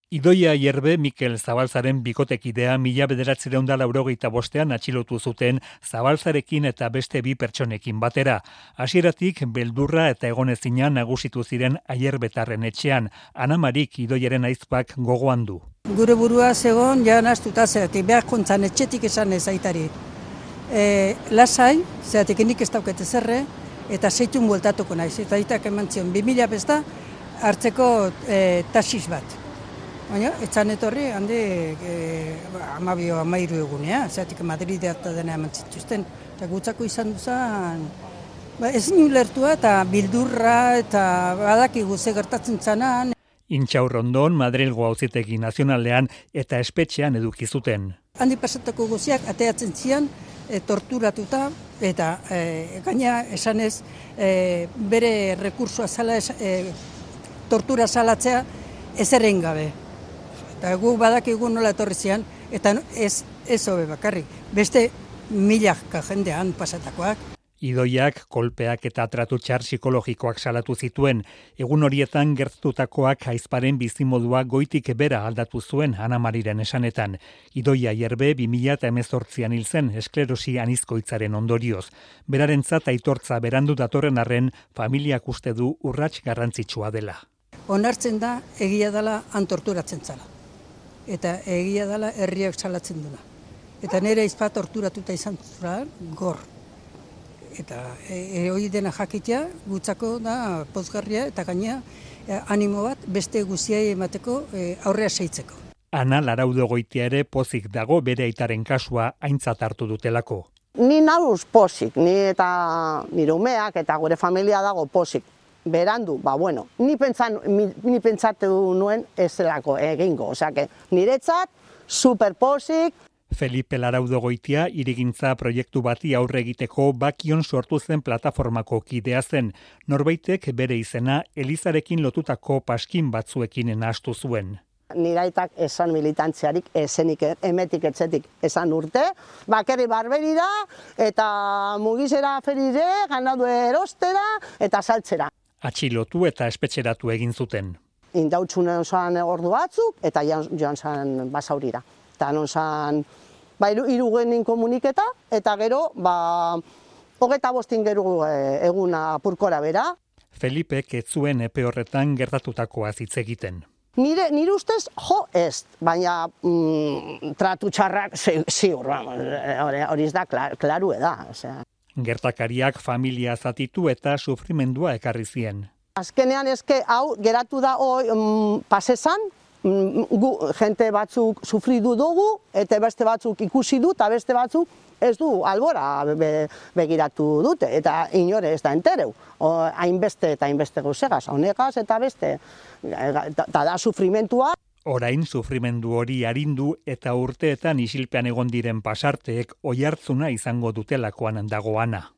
Idoia Aierbe Mikel Zabalzaren bikotekidea 1985ean atxilotu zuten Zabalzarekin eta beste bi pertsonekin batera. Hasieratik beldurra eta egonezina nagusitu ziren Aierbetarren etxean. Ana Marik Idoiaren aizpak gogoan du. Gure burua zegoen ja nahastuta zeratik, behar kontzan etxetik esan ez aitari. Lasai, zeratik nik ez daukete zerre, eta zeitun bueltatuko naiz. Eta aitak eman zion, 2000 besta hartzeko taxis bat. Baina, etzan etorri, handi 12-13 egunea, zeratik Madrid harta dena eman zituzten. Eta gutzako izan duzan, ezin ulertua eta bildurra eta badakigu ze gertatzen zanan. Intxaurrondon, Madrilgo Auzitegi Nazionalean eta espetxean eduki zuten. Handi pasatako guziak ateatzen zian, torturatuta eta gaina esanez bere rekursua zala tortura salatzea ezerrein gabe. Eta gu badakigu nola etorri zian, eta ez hobe bakarrik, beste milaka jendean pasatakoak. Idoiak, kolpeak eta tratu txar psikologikoak salatu zituen. Egun horietan gertatutakoak aizparen bizimodua goitik bera aldatu zuen Ana Mariren esanetan. Idoia Aierbe 2018an hil zen esklerosi anizkoitzaren ondorioz. Berarentzat aitortza berandu datorren arren, familiak uste du urrats garrantzitsua dela. Onartzen da egia dela torturatzen zala. Eta egia dela herriak salatzen duna. Eta nire aizpa torturatuta izan zura gor. Eta hori dena jakitea, gutzako da pozgarria eta gaina animo bat beste guziai emateko aurrea seitzeko. Ana Laraudo Goitia ere pozik dago bere aitaren kasua aintzat hartu dutelako. Ni nauz pozik, ni eta nire umeak eta gure familia dago pozik. Berandu, ni pentsatu nuen ez zelako egingo, osea, niretzat superpozik. Felipe Laraudo Goitia hirigintza proiektu bati aurre egiteko Bakion sortu zen plataformako kidea zen. Norbaitek bere izena Elizarekin lotutako paskin batzuekin nahastu zuen. Niraitak esan militantziarik esenik emetik etzetik esan urte, bakerri barberira eta mugizera ferire, ganadu erostera eta saltzera. Atxilotu eta espetxeratu egin zuten. Indautxunen zoan ordu batzuk eta joan zan basaurira. Eta non zan, irugenin komuniketa, eta gero, 25 gero eguna apurkora bera. Felipek ez zuen epe horretan gertatutakoa hitz egiten. Nire ustez, ez, baina tratu txarrak ziur, hori ez da, klaru da. Gertakariak familia zatitu eta sufrimendua ekarri zien. Azkenean hau geratu da pasesan, jente batzuk sufridu dugu, eta beste batzuk ikusi du, eta beste batzuk ez du albora begiratu dute, eta inore ez da entereu. Hainbeste eta hainbeste gauzegaz, honegaz eta beste, eta da sufrimentua. Orain sufrimendu hori arindu eta urteetan isilpean egon diren pasarteek oihartzuna izango dutelakoan dago Ana.